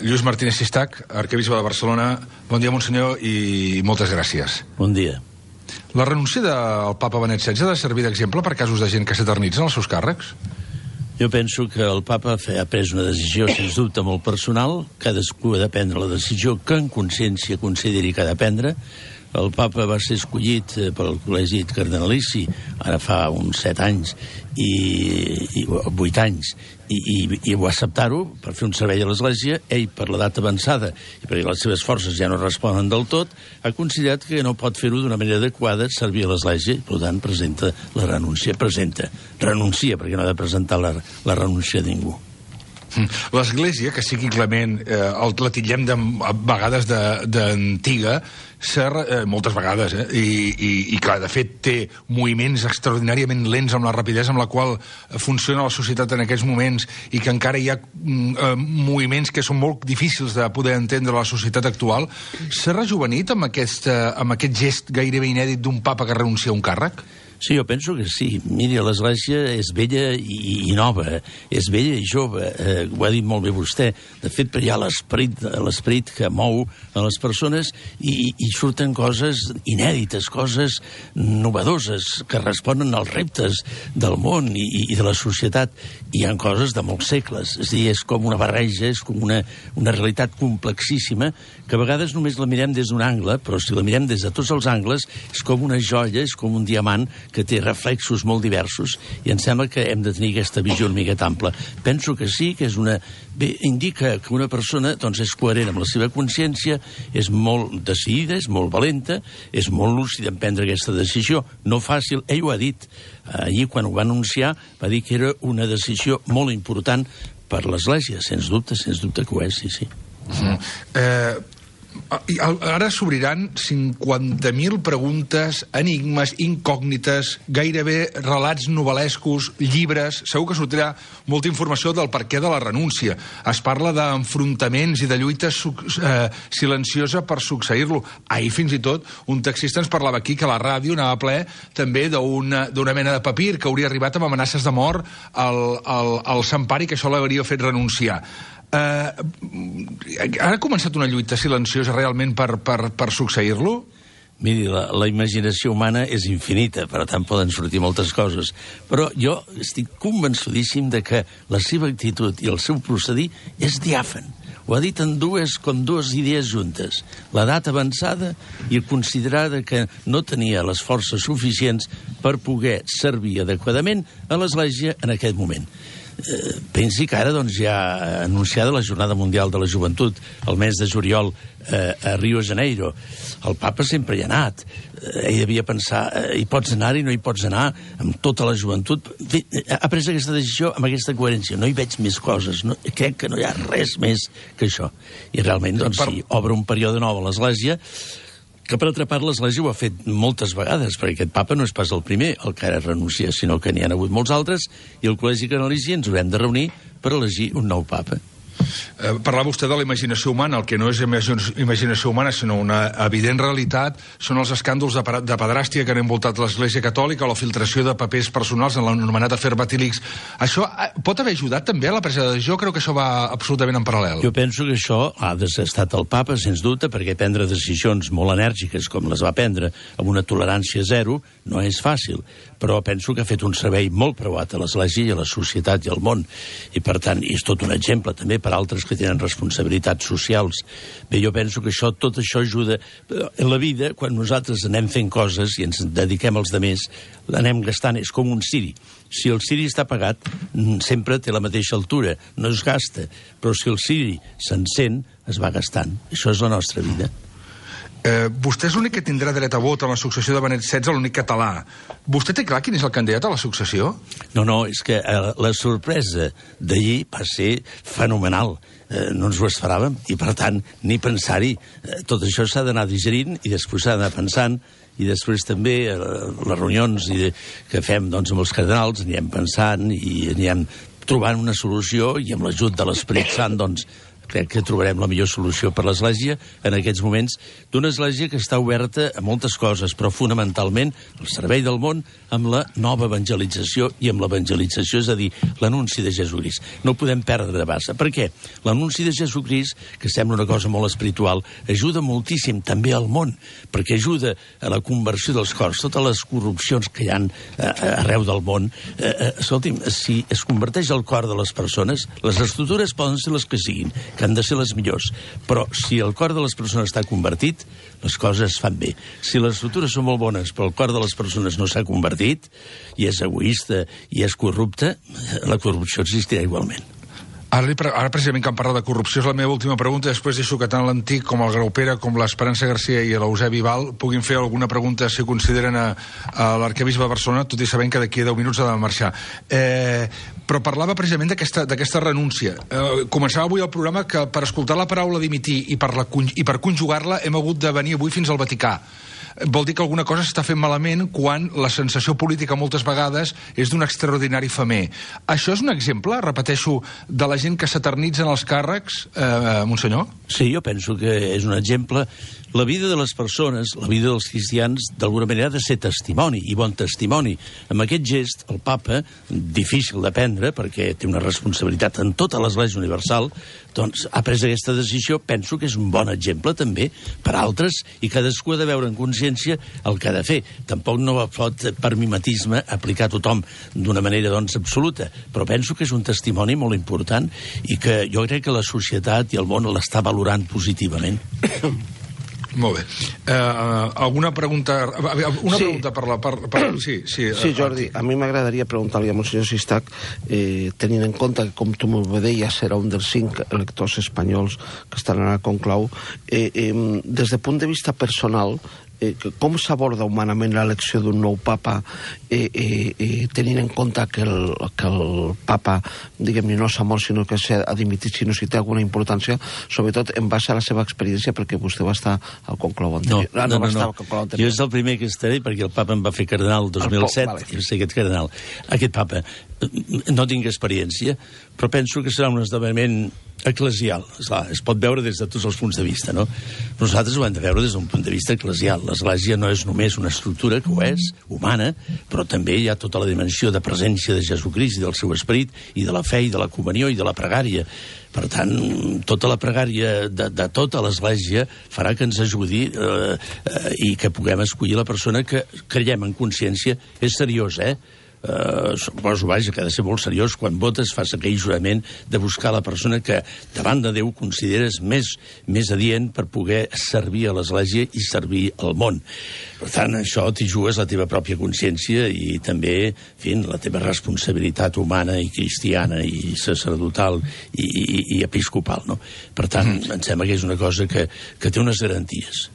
Lluís Martínez Sistac, arquebisbe de Barcelona. Bon dia, monsenyor, i moltes gràcies. Bon dia. La renúncia del papa Benet XVI ha de servir d'exemple per casos de gent que s'eternitzen els seus càrrecs? Jo penso que el papa ha pres una decisió, sens dubte, molt personal. Cadascú ha de prendre la decisió que en consciència consideri que ha de prendre. El papa va ser escollit pel col·legi cardenalici ara fa uns 7 anys i 8 anys i va acceptar-ho per fer un servei a l'Església. Ell, per l'edat avançada i perquè les seves forces ja no responen del tot, ha considerat que no pot fer-ho d'una manera adequada, servir a l'Església, i per tant presenta la renúncia. Renuncia, perquè no ha de presentar la renúncia de ningú. L'Església, que sigui clement, la titllem a vegades d'antiga, moltes vegades, i clar, de fet té moviments extraordinàriament lents amb la rapidesa amb la qual funciona la societat en aquests moments, i que encara hi ha moviments que són molt difícils de poder entendre a la societat actual. S'ha rejuvenit amb aquest gest gairebé inèdit d'un papa que renuncia a un càrrec? Sí, jo penso que sí. Miri, l'Església és vella i nova, és vella i jove, ho ha dit molt bé vostè. De fet, hi ha l'esperit que mou a les persones i surten coses inèdites, coses novedoses, que responen als reptes del món i de la societat. Hi ha coses de molts segles, és a dir, és com una barreja, és com una realitat complexíssima, que a vegades només la mirem des d'un angle, però si la mirem des de tots els angles, és com una joia, és com un diamant que té reflexos molt diversos, i em sembla que hem de tenir aquesta visió una miqueta ampla. Penso que sí, que és indica que una persona doncs, és coherent amb la seva consciència, és molt decidida, és molt valenta, és molt lúcida en prendre aquesta decisió, no fàcil. Ell ho ha dit. Ahir, quan ho va anunciar, va dir que era una decisió molt important per l'Església. Sens dubte que ho és, sí. Ara s'obriran 50.000 preguntes, enigmes, incògnites, gairebé relats novel·lescos, llibres. Segur que sortirà molta informació del perquè de la renúncia. Es parla d'enfrontaments i de lluita silenciosa per succeir-lo. Ahir, fins i tot, un taxista ens parlava aquí que a la ràdio anava ple també d'una mena de papir que hauria arribat amb amenaces de mort al Sampari, que això l'hauria fet renunciar. Ha començat una lluita silenciosa realment per succeir-lo? Miri, la imaginació humana és infinita, per tant poden sortir moltes coses. Però jo estic convençudíssim de que la seva actitud i el seu procedir és diàfan. Ho ha dit en dues idees juntes. L'edat avançada i considerar que no tenia les forces suficients per poder servir adequadament a l'Església en aquest moment. Pensi que ara ja ha anunciada la Jornada Mundial de la Joventut el mes de juliol a Rio de Janeiro. El papa sempre hi ha anat. Ell devia pensar, hi pots anar i no hi pots anar amb tota la joventut. Ha pres aquesta decisió amb aquesta coherència. No hi veig més coses. Crec que no hi ha res més que això. I realment, sí, obre un període nou a l'Església, que per altra part l'Església ho ha fet moltes vegades, perquè aquest papa no és pas el primer el que ara renuncia, sinó que n'hi ha hagut molts altres, i el col·legi cardenalici ens haurem de reunir per elegir un nou papa. Parlava vostè de la imaginació humana. El que no és imaginació humana, sinó una evident realitat, són els escàndols de pedràstia que han envoltat l'Església Catòlica, o la filtració de papers personals en l'anomenat afer Vatilix. Això pot haver ajudat també a la presa de decisió? Crec que això va absolutament en paral·lel. Jo penso que això ha estat el papa, sens dubte, perquè prendre decisions molt enèrgiques, com les va prendre, amb una tolerància zero, no és fàcil. Però penso que ha fet un servei molt preuat a l'Església i a la societat i al món. I, per tant, és tot un exemple també per altres que tenen responsabilitats socials. Bé, jo penso que tot això ajuda. En la vida, quan nosaltres anem fent coses i ens dediquem als demés, l'anem gastant, és com un ciri. Si el ciri està apagat, sempre té la mateixa altura, no es gasta. Però si el ciri s'encén, es va gastant. Això és la nostra vida. Vostè és l'únic que tindrà dret a vot en la successió de Benet XVI, l'únic català. Vostè té clar quin és el candidat a la successió? No, és que la sorpresa d'ahir va ser fenomenal. No ens ho esperàvem i, per tant, ni pensar-hi. Tot això s'ha d'anar digerint i després s'ha d'anar pensant, i després també les reunions que fem amb els cardenals anirem pensant i anirem trobant una solució, i amb l'ajut de l'Esperit Sant crec que trobarem la millor solució per l'Església en aquests moments, d'una Església que està oberta a moltes coses, però fonamentalment al servei del món amb la nova evangelització i amb l'evangelització, és a dir, l'anunci de Jesucrist. No ho podem perdre de base. Per què? L'anunci de Jesucrist, que sembla una cosa molt espiritual, ajuda moltíssim també al món, perquè ajuda a la conversió dels cors, totes les corrupcions que hi ha arreu del món. Escolti'm, si es converteix el cor de les persones, les estructures poden ser les que siguin, que han de ser les millors, però si el cor de les persones està convertit, les coses es fan bé. Si les estructures són molt bones, però el cor de les persones no s'ha convertit, i és egoista, i és corrupte, la corrupció existirà igualment. Ara precisament que em parla de corrupció és la meva última pregunta, després deixo que tant l'Antic com el Graupera, com l'Esperança Garcia i l'Eusebi Val puguin fer alguna pregunta si consideren a l'arquebisbe de Barcelona, tot i sabent que d'aquí a 10 minuts ha de marxar. Però parlava precisament d'aquesta renúncia. Començava avui el programa que per escoltar la paraula dimitir i per conjugar-la hem hagut de venir avui fins al Vaticà. Vol dir que alguna cosa s'està fent malament quan la sensació política moltes vegades és d'un extraordinari femer. Això és un exemple, repeteixo, de la gent que s'eternitza en els càrrecs, Monsenyor? Sí, jo penso que és un exemple. La vida de les persones, la vida dels cristians, d'alguna manera ha de ser testimoni, i bon testimoni. Amb aquest gest, el papa, difícil de prendre, perquè té una responsabilitat en tota l'Església Universal, doncs ha pres aquesta decisió, penso que és un bon exemple també per altres, i cadascú ha de veure en consciència el que ha de fer. Tampoc no pot, per mimetisme, aplicar a tothom d'una manera, doncs, absoluta, però penso que és un testimoni molt important i que jo crec que la societat i el món l'està valorant positivament. Molt bé. Alguna pregunta? Pregunta per la part... Sí, Jordi, a mi m'agradaria preguntar-li a Monsenyor Sistac, tenint en compte que, com tu m'ho deies, serà un dels 5 electors espanyols que estaran a conclau, des del punt de vista personal, com s'aborda humanament l'elecció d'un nou papa, tenint en compte que el papa, diguem-ne, no s'ha mort, sinó que s'ha dimitit, sinó si té alguna importància, sobretot en base a la seva experiència, perquè vostè va estar al conclau anterior. No. Jo és el primer que estaré, perquè el papa em va fer cardenal el 2007, i sé aquest cardenal. Aquest papa no tinc experiència, però penso que serà un esdeveniment eclesial. Esclar, es pot veure des de tots els punts de vista, no? Nosaltres ho hem de veure des d'un punt de vista eclesial. L'Església no és només una estructura, que ho és, humana, però també hi ha tota la dimensió de presència de Jesucrist i del seu esperit, i de la fe, i de la comunió, i de la pregària. Per tant, tota la pregària de tota l'Església farà que ens ajudi i que puguem escollir la persona que creiem en consciència. És seriós, suposo, vaja, que ha de ser molt seriós quan votes, fas aquell jurament de buscar la persona que davant de Déu consideres més adient per poder servir a l'Església i servir al món. Per tant, això t'hi jugues la teva pròpia consciència i també, en fi, la teva responsabilitat humana i cristiana i sacerdotal i episcopal, no? Per tant, em sembla que és una cosa que té unes garanties.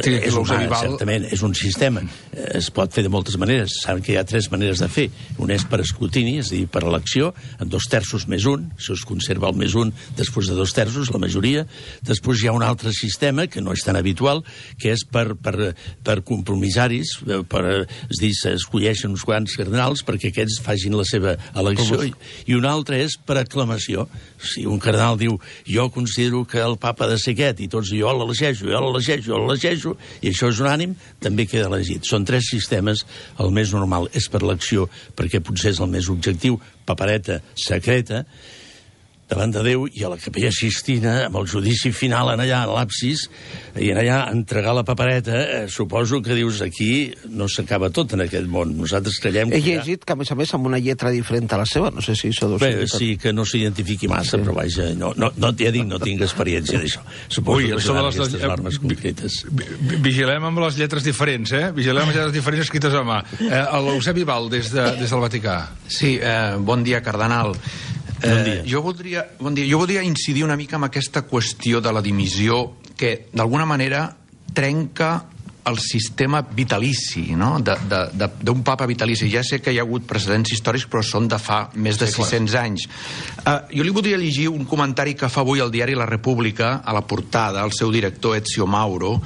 És humà, certament, és un sistema. Es pot fer de moltes maneres. Saben que hi ha 3 maneres de fer. Un és per escrutini, és a dir, per elecció, en 2/3 més 1, això es conserva el més 1 després de 2/3, la majoria. Després hi ha un altre sistema, que no és tan habitual, que és per compromissaris, és dir, s'escolleixen uns quants cardenals perquè aquests facin la seva elecció, i un altre és per aclamació. Si un cardenal diu, jo considero que el papa ha de ser aquest, i tots jo l'elegeixo, i això és unànim, també queda elegit. Són 3 sistemes, el més normal és per elecció, perquè potser és el més objectiu, papereta secreta, davant de Déu, i a la Capella Sistina, amb el judici final en allà, a l'absis, i en allà entregar la papereta, suposo que dius, aquí no s'acaba tot en aquest món. Nosaltres creiem que... He llegit que, a més, amb una lletra diferent a la seva, no sé si això... Bé, sí, que no s'identifiqui massa, però vaja, ja dic, no tinc experiència d'això. Suposo que seran aquestes normes concretes. Vigilem amb les lletres diferents, Vigilem amb les lletres diferents escrites a mà. L'Eusebi Val, des del Vaticà. Sí, bon dia, cardenal. Bon dia. Jo voldria incidir una mica en aquesta qüestió de la dimissió que, d'alguna manera, trenca el sistema vitalici, no? D'un papa vitalici. Ja sé que hi ha hagut precedents històrics, però són de fa més de 600 anys. Jo li voldria llegir un comentari que fa avui al diari La República, a la portada, el seu director Ezio Mauro,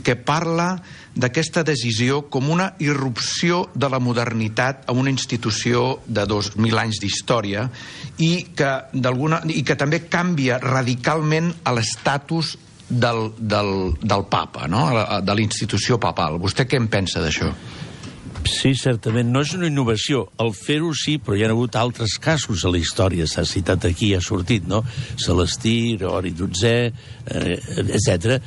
que parla d'aquesta decisió com una irrupció de la modernitat a una institució de 2.000 anys d'història i que també canvia radicalment l'estatus del papa, no? De la institució papal. Vostè què en pensa d'això? Sí, certament. No és una innovació. El fer-ho sí, però hi ha hagut altres casos a la història. S'ha citat aquí, ha sortit, no? Celestí, Gregori XII, etc.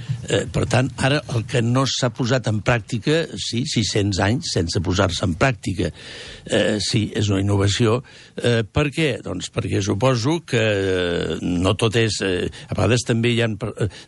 Per tant, ara el que no s'ha posat en pràctica, sí, 600 anys sense posar-se en pràctica. Sí, és una innovació. Per què? Doncs perquè suposo que no tot és... A vegades també hi ha...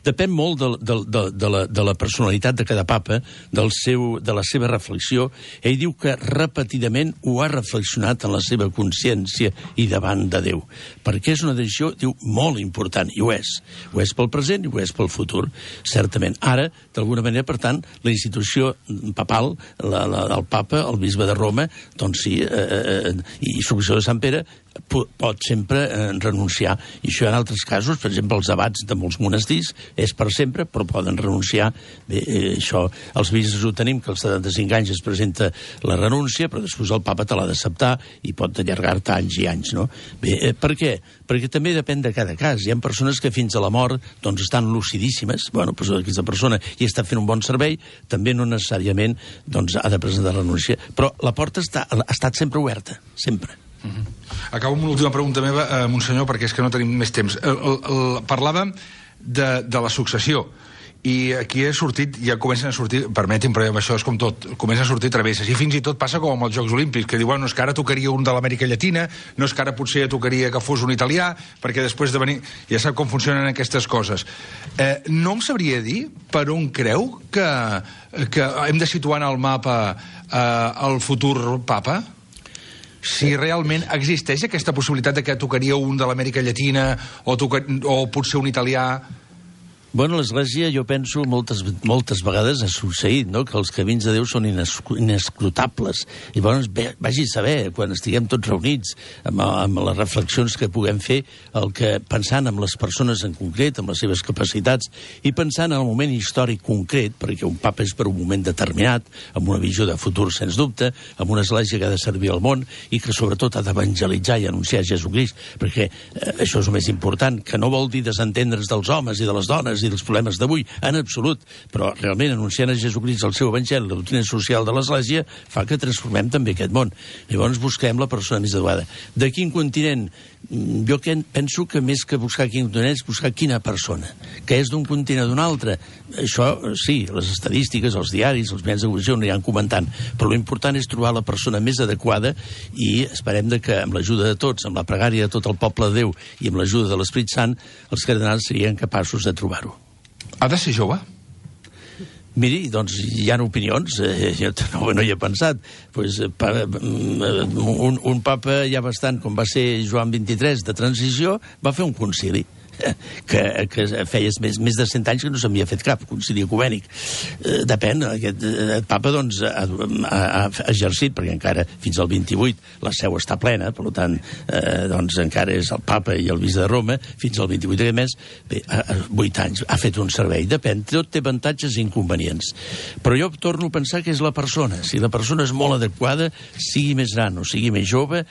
Depèn molt de la personalitat de cada papa, de la seva reflexió. Ell diu que repetidament ho ha reflexionat en la seva consciència i davant de Déu. Perquè és una decisió, diu, molt important, i ho és. Ho és pel present i ho és pel futur, certament. Ara, d'alguna manera, per tant, la institució papal, el papa, el bisbe de Roma, doncs sí, i successor de Sant Pere, pot sempre renunciar. I això en altres casos, per exemple, els abats de molts monestirs, és per sempre, però poden renunciar. Bé, això, els bisbes ho tenim, que als 75 anys es presenta la renúncia, però després el papa te l'ha d'acceptar i pot allargar-te anys i anys, no? Bé, per què? Perquè també depèn de cada cas. Hi ha persones que fins a la mort doncs estan lucidíssimes. Bueno, doncs aquesta persona hi està fent un bon servei, també no necessàriament doncs, ha de presentar renúncia. Però la porta ha estat sempre oberta, sempre. Acabo amb una última pregunta meva, Monsenyor, perquè és que no tenim més temps. Parlàvem de la successió, i aquí ja comencen a sortir, permeti'm, però això és com tot, comencen a sortir travesses, i fins i tot passa com amb els Jocs Olímpics, que diuen, no és que ara tocaria un de l'Amèrica Llatina, no és que ara potser tocaria que fos un italià, perquè després de venir... Ja sap com funcionen aquestes coses. No em sabria dir per on creu que hem de situar en el mapa el futur papa? Si realment existeix aquesta possibilitat de que tocaria un de l'Amèrica Llatina o potser un italià... Bueno, l'Església, jo penso, moltes vegades ha succeït, no?, que els camins de Déu són inescrutables. I llavors, vagi a saber, quan estiguem tots reunits, amb les reflexions que puguem fer, pensant en les persones en concret, amb les seves capacitats, i pensant en el moment històric concret, perquè un papa és per un moment determinat, amb una visió de futur, sens dubte, amb una Església que ha de servir al món i que, sobretot, ha d'evangelitzar i anunciar Jesucrist, perquè això és el més important, que no vol dir desentendre's dels homes i de les dones i dels problemes d'avui, en absolut, però realment anunciant a Jesucrist el seu evangeli, la doctrina social de l'Església, fa que transformem també aquest món. Llavors busquem la persona més adequada. De quin continent? Jo penso que més que buscar quin continent és buscar quina persona, que és d'un continent o d'un altre. Això, sí, les estadístiques, els diaris, els mitjans de comunicació no hi han comentant, però l'important és trobar la persona més adequada i esperem que amb l'ajuda de tots, amb la pregària de tot el poble de Déu i amb l'ajuda de l'Esperit Sant, els cardenals serien capaços de trobar-ho. Ha de ser jove? Miri, doncs hi ha opinions, jo no hi he pensat. Pues, un papa ja bastant, com va ser Joan XXIII, de transició, va fer un concili. Que feia més de 100 anys que no s'havia fet cap concili ecumènic. Depèn, aquest papa doncs ha exercit, perquè encara fins al 28 la seu està plena, per tant doncs encara és el papa i el bisbe de Roma, fins al 28 d'aquest mes, bé, 8 anys, ha fet un servei, depèn, tot té avantatges i inconvenients. Però jo torno a pensar que és la persona, si la persona és molt adequada, sigui més gran o sigui més jove,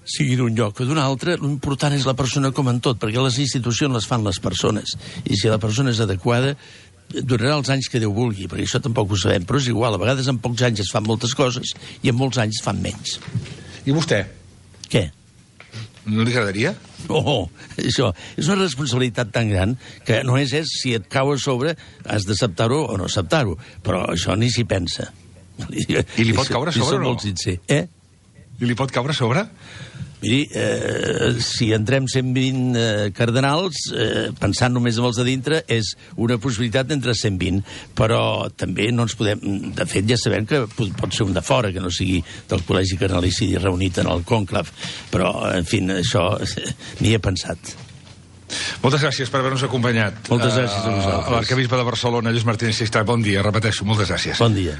sigui d'un lloc o d'un altre, l'important és la persona com en tot, perquè les institucions les fan les persones, i si la persona és adequada durarà els anys que Déu vulgui, perquè això tampoc ho sabem, però és igual, a vegades en pocs anys es fan moltes coses i en molts anys es fan menys. I vostè? Què? No li agradaria? Oh, això és una responsabilitat tan gran que no és si et cau a sobre has d'acceptar-ho o no acceptar-ho, però això ni s'hi pensa. I li pot caure a sobre o no? Molt sincer. I li pot caure a sobre? Miri, si entrem 120 cardenals, pensant només en els de dintre, és una possibilitat entre 120, però també no ens podem... De fet, ja sabem que pot ser un de fora, que no sigui del col·legi cardenalici reunit en el cònclav, però, en fi, això ni he pensat. Moltes gràcies per haver-nos acompanyat. Moltes gràcies a vosaltres. A l'arcabisbe de Barcelona, Lluís Martínez Sistac. Bon dia, repeteixo, moltes gràcies. Bon dia.